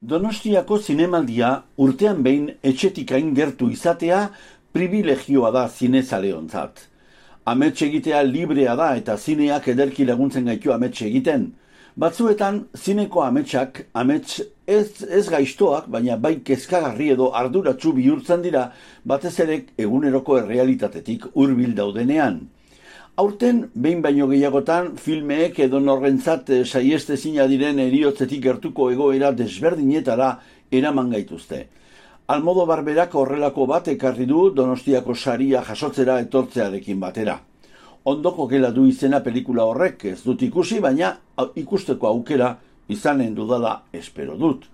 Donostiako zinemaldia urtean behin etxetik hain gertu izatea pribilegioa da zinezaleontzat. Amets egitea librea da eta zineak ederki laguntzen gaitu amets egiten. Batzuetan zineko ametsak amets ez gaiztoak, baina bai kezkagarri edo arduratsu bihurtzen dira batez ere eguneroko errealitatetik hurbil daudenean. Aurten, behin baino gehiagotan, filmeek edo norrentzat saiestezina diren heriotzetik gertuko egoera desberdinetara eraman gaituzte. Almodovar berak horrelako bat ekarri du Donostiako saria jasotzera etortzearekin batera. Ondoko gela du izena pelikula horrek, ez dut ikusi, baina ikusteko aukera izanen dudala espero dut.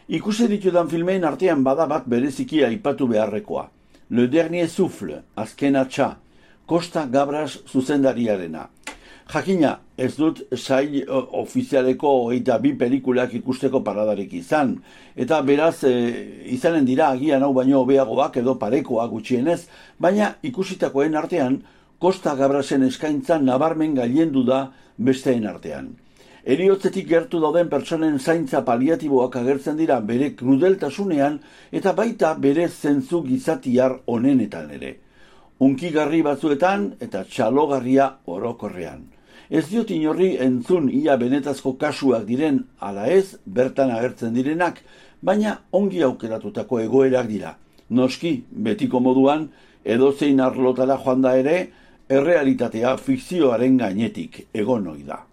Ikusi ditudan filmeen artean bada bat bereziki aipatu beharrekoa. Le Dernier Souffle, azken atxa, Costa Gabras zuzendariarena. Jakina, ez dut sail ofizialeko 22 pelikulak ikusteko paradarik izan, eta beraz izanen dira agian hau baino hobeagoak edo parekoak gutxienez, baina ikusitakoen artean Costa Gabrasen eskaintza nabarmen gailendu da besteen artean. Heriotzetik gertu dauden pertsonen zaintza paliatiboak agertzen dira bere krudeltasunean eta baita bere zentzu gizatiar honenetan ere. Unkigarri batzuetan eta txalogarria orokorrean. Ez diot inorri entzun ia benetazko kasuak diren ala ez bertan agertzen direnak, baina ongi aukeratutako egoerak dira. Noski, betiko moduan, edozein arlotara joan da ere, errealitatea fikzioaren gainetik egon ohi da.